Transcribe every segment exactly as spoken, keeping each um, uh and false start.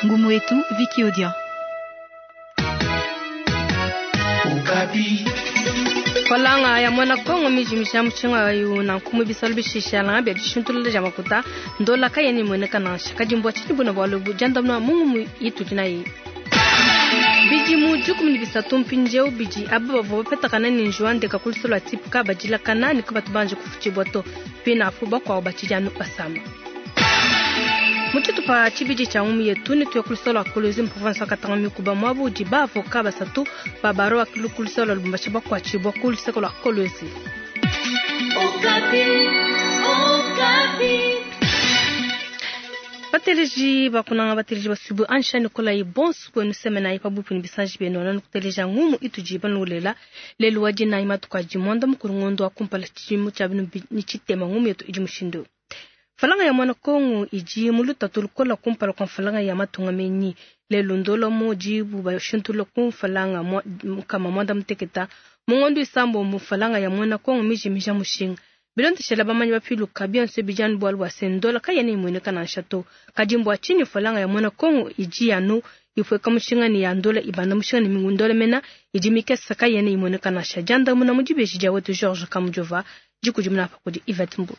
Ngumu yetu Viki Odia. Falanga ya mwana Kongo mijimisha mushinga wayo na nkumu bisalu bishishala bya dishintulula ja makuta ndola kayeni mwene nansha kadimbwa chini buna bwalu jandamna mungu yitu dinayi bidimu dikumi ne bisatu mpindieu bidi aba bavua bapetakana ne njiwa ndeka ku lusolo lua tipuka badilakana ne kabatu banje kufutshibua to pina apu bakuabu batshidi anu basama. Mu tshitupa tshibidi tshia ngumu yetu ne tuya ku lusolo lua Kolwezi mu province wa Katanga mikuba muabu udi baavoka basatu ba baro wa ku lusolo lua Lubumbashi bakuatshibua ku luseke lua Kolwezi. Bateleji bakunanga bateleji basubu ansha Nikolai bonsu kwenu semena ipa bupu ni bisanji benu nanu kuteleja ngumu ituji banulela lelu wa dina imatuka jimonda mukuru ngondo wa kumpala chimu cha binu ni chitema ngumu yetu idi mushindo. Falanga ya mwana Kongo iji muluta tulukola kumpala kwa falanga ya matunga menyi lelu ndolo moji buba shintulo kumfalanga kama mwanda mteketa mungondo isambo mufalanga ya mwana Kongo miji mija mushinga. Bilondeshela bamanyi bapiluka bionso bijani bwalu bwa sendola kayene imwene na nshato kadimbwa chini falanga ya mwana Kongo iji yanu ifweka mushinga ni ya ndola ibanda mushinga ni mingundola mena iji mikesa kayene imwene kana shajanda muna mujibeji ja wetu George Kamujova jikujumna pa kudi Yvette Mbu.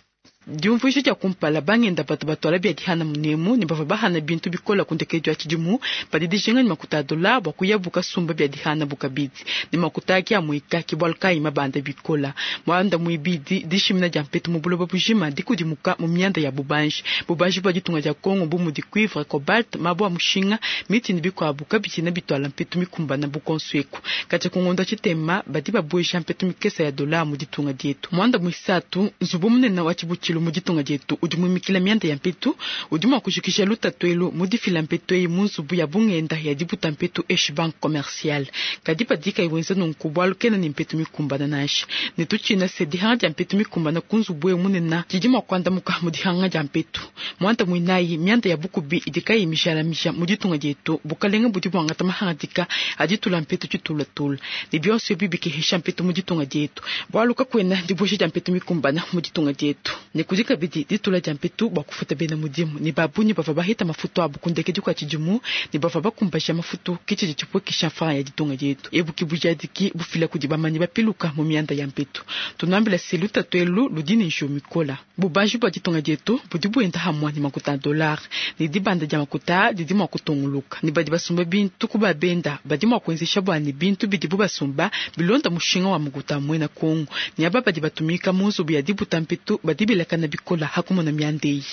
Diumvuisha dia kumpala bangenda bato batwala bia dihana munemu ne bavua bahana bintu bikola kundekedio tshidimu padi dijinga ne makuta a dola bua kuyabuka sumba bia dihana bukabidi ne makuta ake amuika ke bualu kayi mabanda bikola muanda muibidi dishimina dia mpetu mu buloba bujima dikudimuka mu mianda ya bubanji bubanji bua ditunga dia Kongo bu mudi cuivre cobalt mabua mushinga miti ne bikuabu kabidi bitwala mpetu mikumbana bukonsueku katshia kungonda tshitema badi babuesha mpetu mikesa ya dola mu ditunga dietu muanda muisatu nzubu munene wa tshibutshilu mu ditunga dietu udi muimikila mianda ya mpetu udi mua kujikisha lutatu elu mu difila mpetu eyi mu nzubu ya bungenda ya dibuta mpetu eshi banque commerciale kadi padika iwenza nunku bualu kena ne mpetu mikumbana nansha ne tutshina se dihanga dia mpetu mikumbana ku nzubu ewu munene didi mua kuandamuka mu dihanga dia mpetu muanda muinayi mianda ya bukubi idi kayi mijalamija mu ditunga dietu bukalenga budi buangata mahangadika aditula mpetu tshitulatula ne bionso ebi bikehesha mpetu mu ditunga dietu bualu kakuena dibuesha dia mpetu mikumbana mu ditunga dietu ne kudi kabidi ditula dia mpetu bua kufuta bena mudimu ne babunyi bavua bahita mafutu abu kundekedi kua tshidimu ne bavua bakumbasha mafutu ke tshidi tshipuekesha mfranga ya ditunga dietu ebu ke bujadiki bufila kudi bamanyi bapiluka mu mianda ya mpetu tunuambila se lutatu elu ludi ne njiwu mikola bubanji bua ditunga dietu budi buenda hamua ne makuta a dollar ne dibanda dia makuta didi mua kutunguluka ne badi basumba bintu ku babenda badi mua kuenzesha bua ne bintu bidibu basumba bilonda mushinga wa makuta muena Kongo ne aba badi batumika mu nzubu ya dibuta mpetu badi bilakana bikola hakumona miandeyi.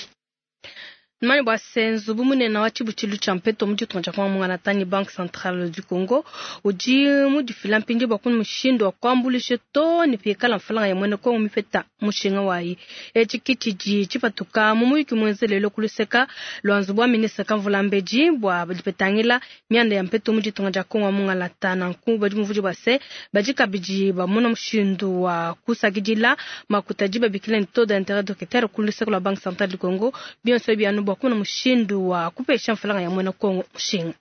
Mani bwa senzu bumunene wa tshibutshilu tshia mpeto mu ditunga dia Kongo mungana Banque Centrale du Congo udi mudifila mpindi bua kunu mushindu wa kuambulisha to ne pikala mfalanga ya mwene Kongo mipeta mushinga wayi etshi kitshidi tshipatuka mu muyuki muenzelelo kuluseka lwa nzubu wa ministre Kamvula Mbeji bua dipetangila mianda ya mpeto mu ditunga dia Kongo mungana nanku badi muvudi bua se badi kabidi bamona mushindu wa kusakidila makuta diba bikila ni taux d'intérêt docetaire kuluseka lwa Banque Centrale du Congo bionso bianu bua kuna mushindu wa kupesha mfalanga ya mwena Kongo mushinga.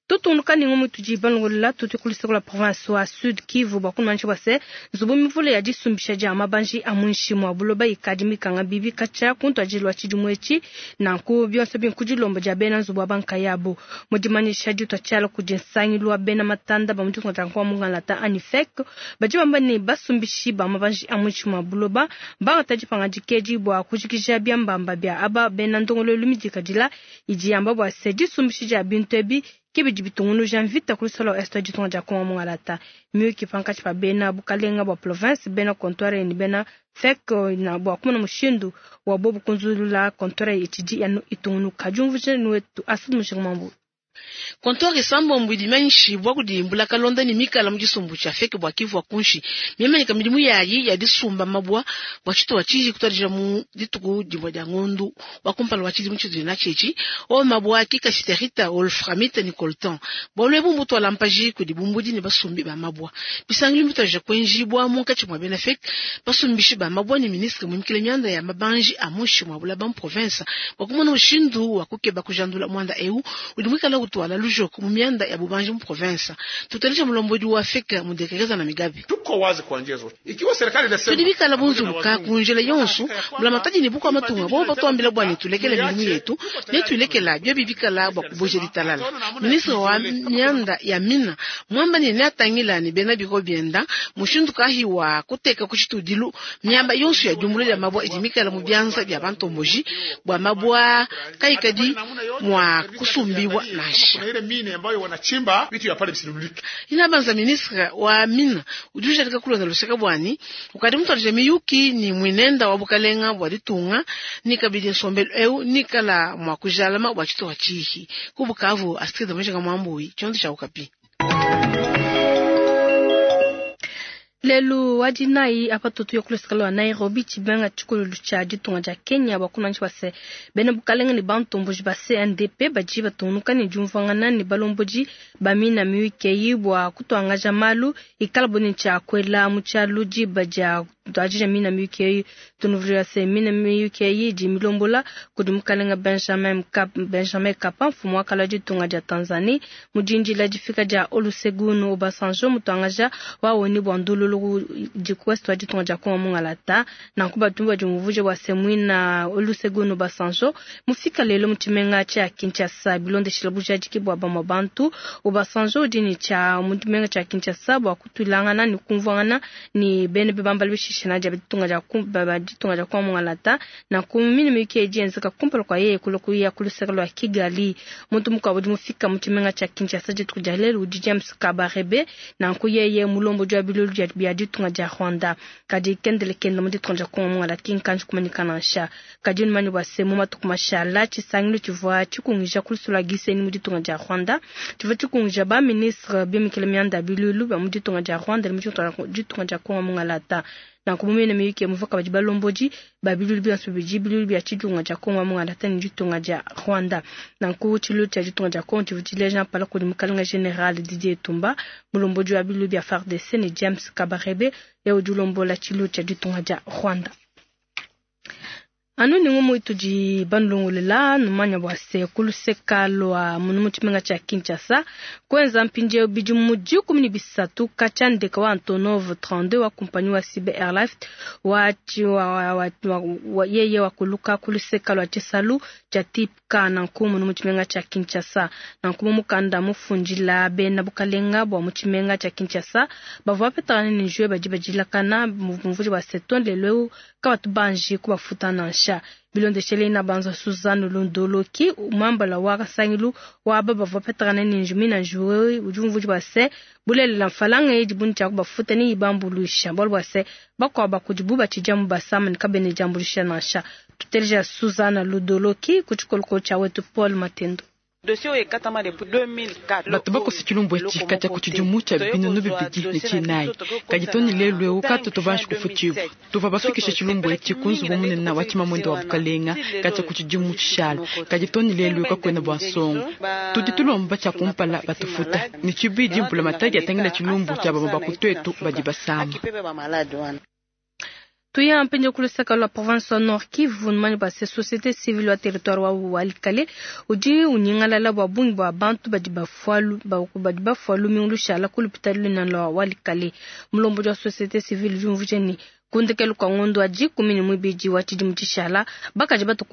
Tutunuka ni ngumu tujibangola tutukulisa la province wa Sud Kivu bua kuna bua se nzubu mivule ya disumbisha dia mabanji a munshi mwa buloba ikadi mikanga bibi kacha kuntu ajilwa tshidimu etshi nanku bionso binkudilomba dia bena nzubu wa banka yabo mudimanyisha ditwa tshiala kudi nsangilu wa bena matanda ba muditunga dia Kongo mungana anifek badi bamba ne basumbishi ba mabanji a munshi mwa buloba bangata dipanga dikedi bua kujikija biambamba bia aba bena ndongololu midikadila idi yamba bua se disumbishi dia bintu ebi kibidi bitungunu janvita kulusolo est ditunga dia Kongo mungalata miyuki pankatshi pa bena bukalenga bua province bena comptoir ni bena fek na bua kumona mushindu wa bobu kunzulula comptoir itshidi yanu itungunu kajumvuje nuetu asudu mushinga mambu. Comptoir isambombo idi bua kudimbula kalonda ni mikala mu disumbu tshia feke bua Kivu kunshi mimanyika midimu yayi ya disumba mabua bua tshituwa tshiji kutadija mu dituku dimue dia ngondu wa kumpala wa tshidimu tshitudi na tshitshi o mabua akika shiterita wolframite ni coltan bualu ebu mbutwala mpaji kudi bumbudi ne basumbi ba mabua bisangilu mbitwaja kuenjibua munkatshi mua bena feke basumbishi ba mabua ni ministre muimikile mianda ya mabanji a munshi mua bulaba mu province bua kumona mushindu wa kukeba kujandula muanda eu udi muikala utwala lujoko mu mianda ya bubanji mu province. Tutalisha mulombodi wa F E C mudekereza na Migabe. Tuko wazi kwa njia zote. Ikiwa serikali inasema tudi bikala bunzuluka kunjela yonso mbulamatadi ne bukwa matunga bo batwambila bwani tulekele milimu yetu ne tulekela byo bibikala bwa kuboja ditalala. Ministre wa mianda ya mina mwamba ne neatangila ne bena biko bienda mushindu kahi wa kuteka kuchitudilu miamba yonso ya jumbula ya mabwa idi mikala mu byanza bya bantomboji bwa mabwa kaikadi mwa kusumbiwa nasha. Kuna ile mine ambayo wanachimba vitu ya pale visinunulike. Inabanza ministre wa mina udi ujadika kulonda luseka bwani ukadi mutwalija miyuki ni mwinenda wa bukalenga bwa ditunga ni kabidi nsombelu eu nikala mwa kujalama bwa tshituha tshihi ku Bukavu. Astrid Mujinga Mwambui, tshiondo tsha Okapi. Lelu wa dinayi apa tutu yokulusika lwa Nairobi, tshibenga tshikululu tshia ditunga dia Kenya, bua base bena bukalenga ne bantomboji ba C N D P badi batungunuka ne diumvuangana ne balombodi ba mina miyuki bua kutuangaja malu ikala bo ne tshia kuela mu tshialu diba dia tuadija mina miyuki. Tunuvulila se mina miyuki idi milombola kudi mukalenga Benjamin Mkapa, Benjamin Mkapa, mfumu wa kala ditunga dia Tanzanie, mu dindila difika dia Olusegun Obasanjo mutuangaja wa O N U bua ndululu di ku Ouest wa ditunga dia Kongo mungalata. Nanku batumbi badi muvuja bua se muina Olusegun Obasanjo mufika lelo mu tshimenga tshia Kinshasa. Bilondeshela bujadiki bua bamue bantu, Obasanjo udi ne tshia mu tshimenga tshia Kinshasa bua kutulangana ne kumvuangana ne bene bibambala bishishana dia ditunga dia ditunga dia Kongo mungalata. Nanku mine miyuki edi yenzeka kumpala kua yeye kula kuya kuluseka lua Kigali. Muntu mukuabu udi mufika mu tshimenga tshia Kinshasa dituku dia lelu udi James Kabarebe. Nanku yeye mulombodi wa bilulu bia ditunga dia Rwanda, kadi kendele kenda mu ditunga dia Kongo mungalata kinkanji kumanyika nansha. Kadi numanye bua se mu matuku mashala tshisangilu tshivua tshikungija kulusula Gisenyi mu ditunga dia Rwanda tshivua tshikungija ba ministre bimikila mianda ya bilulu bia mu ditunga dia Rwanda ne mu ditunga dia Kongo mungalata. Nanku mumene miyuki muvua badi balombodi ba bilulu bionso bibidi, bilulu bia tshitunga dia Kongo mungalata ne ditunga dia Rwanda. Nanku tshilulu tshia ditunga dia Kongo tshivua tshileja mpala kudi mukalenga General Didier Tumba, mulombodi wa bilulu bia F A R D C, ne James Kabarebe ye udi ulombola tshilulu tshia ditunga dia Rwanda. Anu ni ngumu itudi banulongolela, numanya bua se kuluseka lua munu mu tshimenga tshia Kinshasa kuenza mpindieu bidimu dikumi ne bisatu katshia ndeka wa Antonov trente-deux wa kumpanyi wa C B Airlift wa, wa, wa, wa, wa, yeye wakuluka kuluseka lua tshisalu tshia Type K nanku munu mu tshimenga tshia Kinshasa. Nanku mu mukanda mufundila bena bukalenga bua mu tshimenga tshia Kinshasa bavua bapetangana ne njue badi badilakana muvudi wa seton lelo eu kabatu banji kubafuta nansha. Bilondeshele na banza Suzanne Lundoloki, umambala wa kasangilu wa aba bavua bapetangana ne njumi na njuwe, udi umvudi bua se bulelela mfalanga idi buni tshia kubafuta ni ibambuluisha bualu bua se bakuabu bakudibu batshidi mu basama ne kabene diambuluisha nansha. Tuteleja Suzanne Ludoloki ku tshikolokolo tshia wetu Paul Matendo. Bato bakosa tshilumbu etshi katshia ku tshidimu tshia binunu bibidi ne tshinayi, kadi to ne lelu eu katutu banji kufutshibua. Tuva bafikisha tshilumbu etshi ku nzubu munene wa tshimamwende wa bukalenga katshia ku tshidimu tshishala, kadi to ne lelu eu kakuena bua nsongo. Tudi tulomba tshia kumpala batufuta ne tshibidi mpula matadi atangila tshilumbu tshia bamue bakutwetu badi basama. Tuya mpindieu kuluseka lua province wa Nord Kivu. Numanye bua se société civile wa territoire wa Walikale udi unyingalala bua bungi bua bantu badi bafua badi bafua lumingu lushala ku lupitali lunene lua Walikale. Mulombodi wa société civile udi umvuija ne kundekelu kua ngondo wa dikumi ne muibidi wa tshidimu tshishala bakaji batu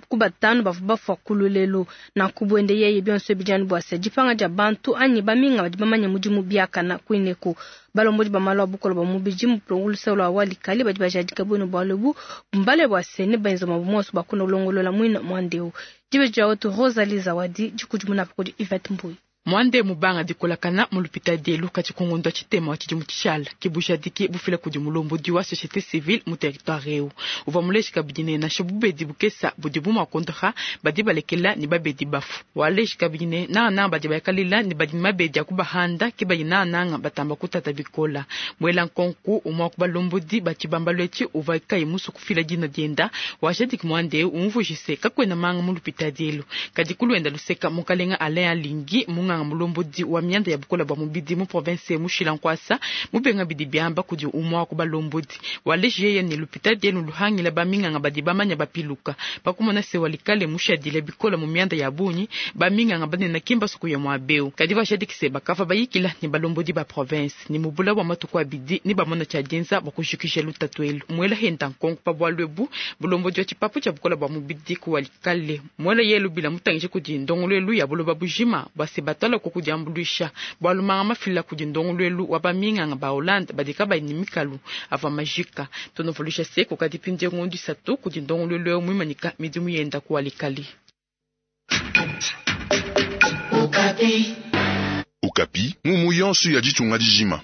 ku batanu bavua bafua ku lulelu. Nanku buende yeye bionso bidi bua se dipanga dia bantu anyi baminga badi bamanye mudimu biakana kuineku. Balombodi ba malu a bukolo ba mubidi mu luseke lua Walikale badi bajadika buenu bualu ebu mbale bua se ne benza mabu monso bakuna kulongolola muina muandeu. Dibe dia wetu Rosalie Zawadi dikudimuna kudi Yvette Mbuyi. Mwande mubanga dikolakana mu lupita dielu kati ku ngondo tshitema wa tshidimu tshishala kibujadiki bufila kudi mulombodi wa société civile mu territoire eu. Uvua muleji kabidi ne nansha bubedi bukesa budi bumua kondoha badi balekela ne babedi bafu. Waleji kabidi ne nangananga badi bayakalila ne badi ne mabedi a kubahanda ke badi nangananga batamba kutata bikola. Muela nkonku umua ku balombodi ba tshibambalu etshi uvua kayi musu kufila dina dienda wajadiki mwande eu umvujise kakuena manga mu lupita dielu. Kadi kuluenda luseka mukalenga Alain Alingi munga munganga mulombodi wa mianda ya bukola bua mubidi mu province mushila nkwasa mubenga bidi biamba kudi umwa ku balombodi waleji yeye ne lupita dienu luhangila baminganga badi bamanya bapiluka pakumona se walikale mushadile bikola mu mianda ya bunyi baminganga banena kimba suku ya mwabeu kadi bashadikise bakava bayikila ne balombodi ba province ni mubula wa matuku abidi ni bamona tshia dienza bua kujikisha lutatu elu mwela henda nkonko pa bwalu ebu bulombodi wa tshipapu tshia bukola bua mubidi ku walikale mwela yelu bila mutangishe kudi ndongoluelu ya buloba bujima bua se batala ko kudiambuluisha bwalu manga mafila kudi ndongoluelu wa baminganga ba Hollande badika bayini mikalu ava majika tonovolusha se kukadi pindie ngondo isatu kudi ndongoluelu eu muimanika midimu yenda ku walikale. Okapi. Okapi, mumu yonso ya ditunga dijima.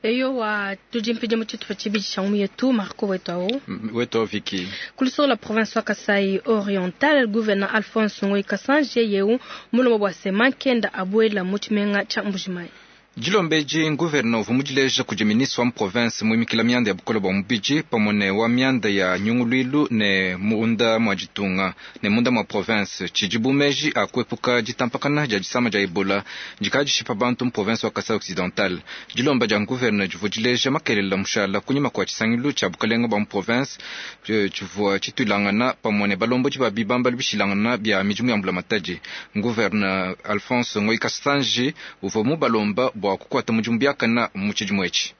Eyo wa tujimpije mu tshitupa tshibidi tshia ngumu yetu Marco wetu awo wetu Viki kulusolo la province wa Kasai Oriental gouverneur Alphonse Ngoyi Kasanje yeu mulomo bwa sema kenda abuela mu tshimenga tsha Mbujimayi. Dilombeji gouverneur vumudileja kudi ministre wa province muimikila mianda ya bukola bua mubidi pamue wa mianda ya nyunguluilu ne munda mwa ditunga ne munda mwa province tshidi bumeji akuepuka ditampakana dia disama dia Ebola dikadishipa bantu mu province wa Kasai Occidental. Dilomba dia gouverneur divudileja makelela mushala kunyima kua tshisangilu tshia bukalenga bua mu province tshivua tshituilangana pamue ne balombodi ba bibamba bishilangana bia midimu ya mbulamatadi. Gouverneur Alphonse Ngoyi Kasanji uvua mubalomba bua kukwata mudimu biakana mu tshidimu etshi.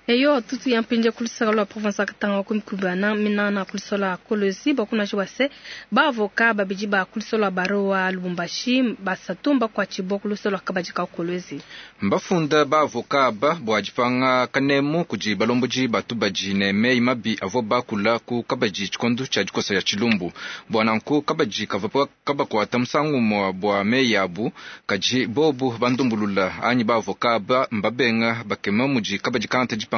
Eyo tutu ya mpinje kulusaka lwa province ya Katanga kumikubana minana kulisola Kolwezi bakuna jwase ba avocat babidi ba kulisola baro wa Lubumbashi basatumba kwa chibo kulisola kabajika Kolwezi. Mbafunda ba avocat ba bwa dipanga kanemu kudi balomboji batubaji ne mei mabi avo bakula ku kabaji tshikondo tshia dikosa ya tshilumbu bwa nanku kabaji kavapa kabakwata musangu mwa bwa mei yabu kaji bobu bandumbulula anyi ba avocat ba mbabenga bakema muji kabaji kanta dipanga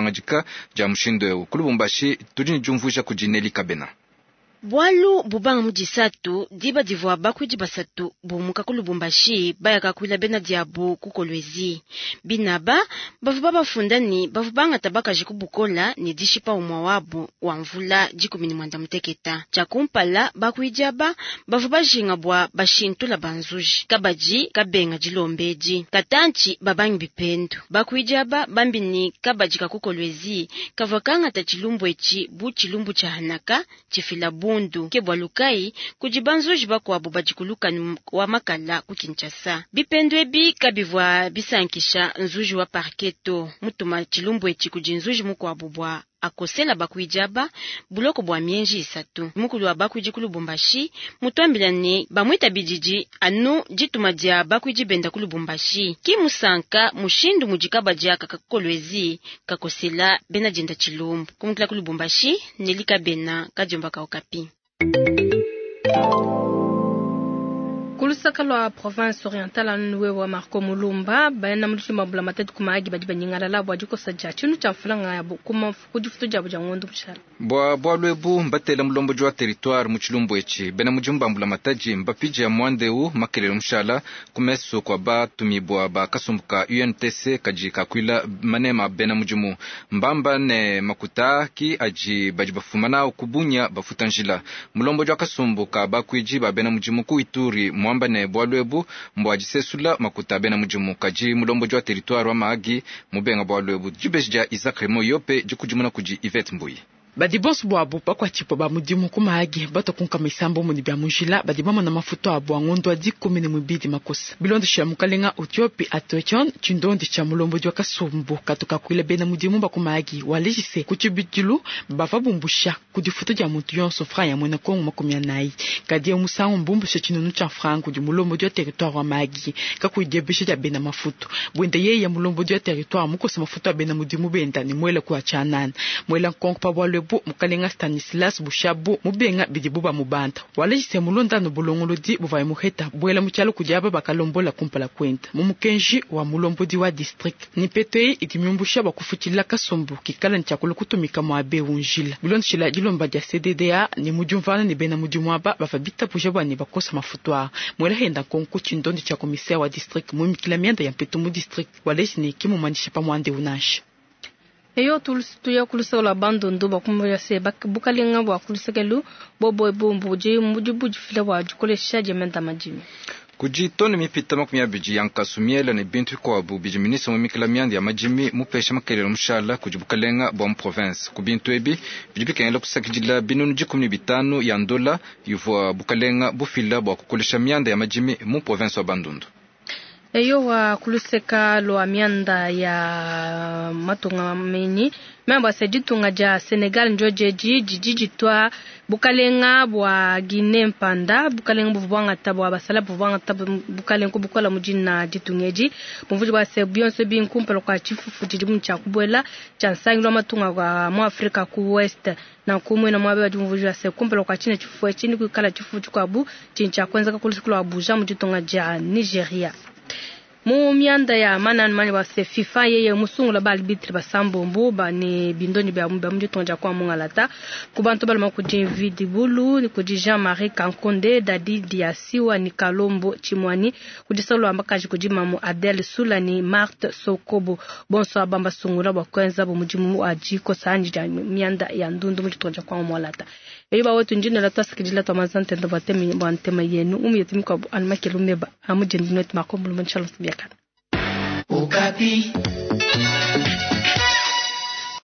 dia mushindo eu ku Lubumbashi tudi ne diumvuija kudi Neli Kabena. Bwalu bubanga mudisatu diba divua bakwidi basatu bumuka ku Lubumbashi bayaka kuila bena diabu ku Kolwezi binaba bavu bafunda ni bavu bangata bakaji kubukola ni dishipa umwa wabu wa mvula dikumi ni mwanda muteketa tshakumpala bakwidi aba bavu bajinga bwa bashintula banzuji kabaji kabenga dilombedi katanchi babangi bipendu bakwidi aba bambi ni kabaji ka ku Kolwezi kavua kangata tshilumbu etshi bu tshilumbu tsha hanaka tshifila bundu ke bwalukai kudi banzuji bakuabu badikuluka wa makala ku Kinshasa bipendu ebi kabivua bisankisha nzuji wa parketo mutuma tshilumbu etshi kudi nzuji mukuabu bwa akosela bakwidi aba buloko bwa mienji isatu mukulu wa bakwidi ku Lubumbashi mutwambila ne bamwita bididi anu dituma dia bakwidi benda ku Lubumbashi ki musanka mushindu mudikaba diaka kakolwezi kakosela bena dienda tshilumbu kumukila ku Lubumbashi nelika bena kadiomba ka Okapi. Kulusaka lwa province orientale anuwe wa Marco Mulumba bayana mulishima bula matatu kumaagi badi banyingalala bwa dikosa dia tshinu tshia mfulanga ya kuma kudifutu diabo dia ngondo mushala bwa bwalu ebu mbatela mulomboji wa territoire mu tshilumbu etshi bena mudimu ba mbula matadi mbapidja ya mwandeu makelele mushala kumeso kwa batumibwa ba kasumbu ka U N T C kadi kakuila manema bena mudimu mbamba ne makuta ki adi badi bafuma nao kubunya bafuta njila mulomboji wa kasumbu ka bakuidi ba bena mudimu ku Ituri mwamba ne bwalu ebu mbwa disesula makuta bena mudimu kadi mulomboji wa territoire wa Mahagi mubenga bwalu ebu dibeji dia Isaac Remo Yope dikudimuna kudi Yvette Mbuyi. Badi bonso bwabo bakwatshipwa ba mudimu ku Mahagi batakunka misambo muni bya mujila badi bamona mafuto abo angondo adi kumi ne mubidi makosa bilondesha mukalenga Ethiopie atochon tshindondi tsha mulombodi wa kasumbu katuka kuila bena mudimu ba ku Mahagi walejise ku tshibidilu bava bumbusha ku difuto dia muntu yonso franc ya mwena Kongo makumi anayi kadi ya musangu mbumbusha tshinunu tsha franc kudi mulombodi wa territoire wa Mahagi kakuidiebesha dia bena mafuto bwende yeye ya mulombodi wa territoire mukosa mafuto a bena mudimu benda ne mwela ku achanana mwela nkonko pa bwalwe mukalenga Stanislas Bushabu mubenga bidibu ba mubanda walejise mulondano bulongolodi buvaye muheta bwela mukyalo kudi aba bakalombola kumpala kwenda mu mukenji wa mulombodi wa district ni peto eyi idi miumbusha bakufutshila kasumbu kikala ntshiakula kutumika mwabe unjila bilondeshila dilomba dia C D D A ni mudiumvana ne bena mudimu aba bava bitabuja bwa ne bakosa mafutu aa mwela henda nkonko tshindondi tshia commissaire wa district muimikila mianda ya mpetu mu district waleji ne kimumanyisha pamwande unansha. Eyo tuya kulusaka lwa bandundu bakumbuya se bukalenga bwa kulusakelu bobo ebumbu budi mudi budifila bwa dikolesha dia menda madimi. Kudi tone mipita makumi abidi ya nkasu miela ne bintu bikuabu bidi ministre muimikila mianda ya madimi mupesha makelelo mushala kudi bukalenga bua mu province. Ku bintu ebi bidi bikengela kusakidila binunu dikumi ne bitanu ya ndola ivua bukalenga bufila bua kukolesha mianda ya madimi mu province wa Bandundu. Eyowa kuluseka lwa mianda ya matunga menyi memba se ditunga dia Senegal njojeji didi ditwa bukalenga bwa Guinée mpanda bukalenga buvwangata bwa basala buvwangata bukalenga bukola mujina ditungeji bumvuji bwa se bionso binkumpala kwa chifufu didi mu kubwela cha nsangilo matunga kwa mu Afrika ku West na kumwe na mwabe bumvuji bwa se kumpala kwa chine chifufu chini kuikala chifufu chikwabu chincha kwenza kakulusukula Abuja mu ditunga dia Nigeria. Mu mianda ya manani mani wa se FIFA yeye musungula ba arbitre basambombo ba ne bindoni bya mu ditunga dia kwa mungalata ku bantu balima kudi Mvidi Bulu kudi Jean-Marie Kankonde Dadi Diasiwa ni Kalombo Chimwani kudi Salo ambakaji kudi Mamu Adel Sula ni Marthe Sokobo bonso abamba sungula bwa kwenza bo mudimu wa jiko sanji dia mianda ya ndundu mu ditunga dia kwa mungalata eyo ba wetu njina la tasikidila to mazante ndo batemi bantema yenu umiyetimi kwa almakelumeba amujendinwe makombulu manchalo biakana. Okapi.